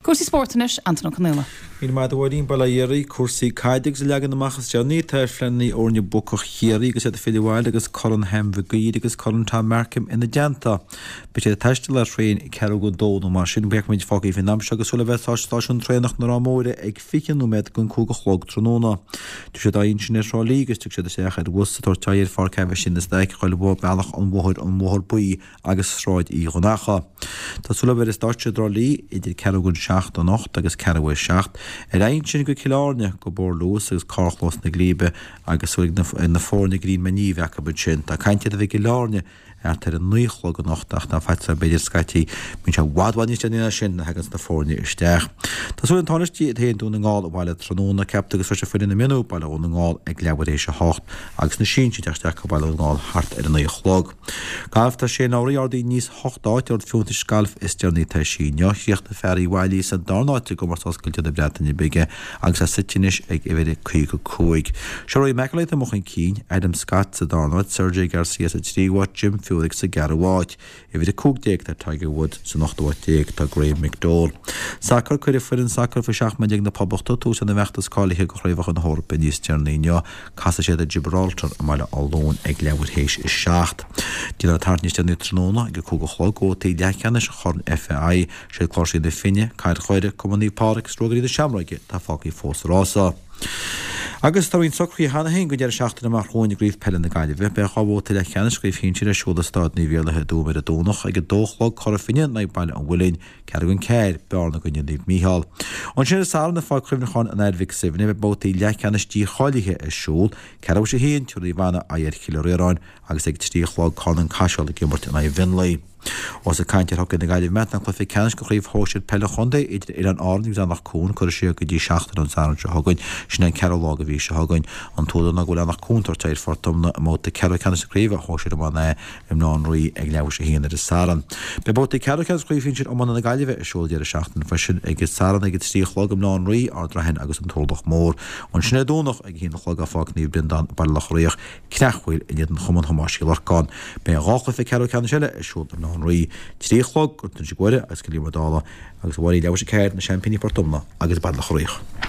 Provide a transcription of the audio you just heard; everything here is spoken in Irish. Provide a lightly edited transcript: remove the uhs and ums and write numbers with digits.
Cúrsaí spóirt anois, Antain Ó Conaola. Míle maith agat a Mháirín, bail ó Dhia oraibh. Cúrsaí caide agus an leagan amach is deireanaí atá ar phleananna fhoirne buacach Chiarraí agus iad ag filleadh abhaile agus Corn Sam Mhig Uidhir agus Corn Tom Markham ina dteannta. Beidh siad ag taisteal ar thraein ceathrú go dó nó mar sin. Feicimid fágtha faoin am seo agus súil le bheith ag stáisiún traenach na Ráth Móire ag 20 nóiméad don 5 a chlog tráthnóna. Tiocfaidh siad aghaidh ansin ar Thrá Lí agus tiocfaidh siad isteach ar bhus ag tabhairt aghaidh ar Pháirc Aibhistín de Staic, a ghoil Bealach an Bhóthair, an Bóthar Buí agus Sráid Uí Dhonnchadha. Tá súil le bheith ar an stáitse i dTrá Lí idir ceathrú don seacht anocht agus ceathrú ar seacht. Ar aghaidh ansin go Cill Airne, go Bóthar Luas agus Carrchlós na Glíbe agus súil ag na foirne grian na ní a bheith acu ansin. Tá caint ar a bheith i gCill Airne thart ar a naoi a chlog anocht ach tá faitíos orm b'fhéidir scaití bíonn sé i bhfad bhfad níos déanaí ná sin nuair a thaganns na foirne isteach. Tá súil an Tánaiste iad féin Dún na nGall abhaile tráthnóna, ceaptar go sroisfidh foireann na mionúr Baile Dhún na nGall ag leathuair théis a hocht agus na sinsir ag teacht isteach go Baile Dhún na nGall thart ar a naoi a chlog. Galf Tá Shane Lowry ardaithe aníos hocht áit ar ord fiúntais gailf is deireanaí atá eisithe inniu. Chríochnaigh fear Uíbh Fhailí sa darna háit i gcomórtas oscailte na Breataine Bige agus é suite anois ag uimhir 55. Seo Rory McIlroy atá amuigh chun cinn, Adam Scott sa darna háit, Sergio Garcia sa tríú háit, Jim Furyk sa gceathrú háit. Uimhir 15 tá Tiger Woods, san ochtú háit déag tá Graham McDowell. Sacar Cuirfidh foireann sacair faoi 17 mbliana na Poblachta tús lena bhfeachtas cáilithe do Chraobhacha na hEorpa níos deireanaí inniu. Casfaidh siad ar Gibraltar i mBaile Átha Luain ag leathuair théis a seacht. Déanfar tagairt níos deireanaí tráthnóna ag a 5 a chlog do bhabhtaí leathcheannais Chorn FAI. Siad Cláirsigh na Finne, Cathair Dhoire, Cumann Naomh Pádraig agus Ruagairí na Seamróige atá fágtha fós sa rása. Agus tá roinnt socruithe cheana féin don deireadh seachtaine amach romhainn i gCraobh Peile na Gaillimhe. Beidh 2 bhabhta leathcheannais Chraobh Shinsir ar siúl i Staid Naomh Iarlaith i dTuaim ar an Domhnach ag 2 a chlog Cora Finne in aghaidh Baile an Mhuilinn, ceathrú don ceathair, Bearna i gcoinne Naomh Mícheál. Ansin ar an Satharn i Pháirc Chuimhneacháin an Athar Mhic Suibhne beidh babhtaí leathcheannais dícháilithe ar siúl, ceathrú théis a haon, tabharfaidh Naomh Anna aghaidh ar Chill Riaráin agus ag 3 a chlog Carn an Caiseal ag imirt in aghaidh Mhionlaigh. Ós ag caint ar hocaí na Gaillimhe, tá an cluiche ceannais de chraobh shóisir peile an chontae idir Oileáin Árann agus Eanach Cuain curtha siar go dtí seachtain ón Satharn seo chugainn, sin an ceathrú lá de mhí seo chugainn. An t-údar ná go bhfuil Eanach Cuain ag tabhairt aghaidh ar Phort Omna i mbabhta ceathrú ceannais na craoibhe shóisir iomána A i mBaile Átha an Rí ag leathuair théis a haon ar an Satharn. Beidh babhtaí ceathrú ceannais chraobh shinsir iomána na Gaillimhe ar siúl an deireadh seachtaine freisin ag an Satharn ag a 3 a chlog i mBaile Átha an Rí, Ard Raithin agus an Turlach Mór. Ansin ar Domhnach ag a haon a chlog i Pháirc Naomh Breandán, Baile Locha Riach, Creachmhaoil in éadan Chumann Thomáis Uí Lorcáin. Beidh 2 chluiche ceathrú ceannais eile ar siúl i mBaile Átha an Rí, 3 a chlog, Gort an Inse Guaire agus Cill Íomair Dála agus a Mháirín leathuair théis a ceathair, na seaimpíní Port Omna agus Baile Locha Riach.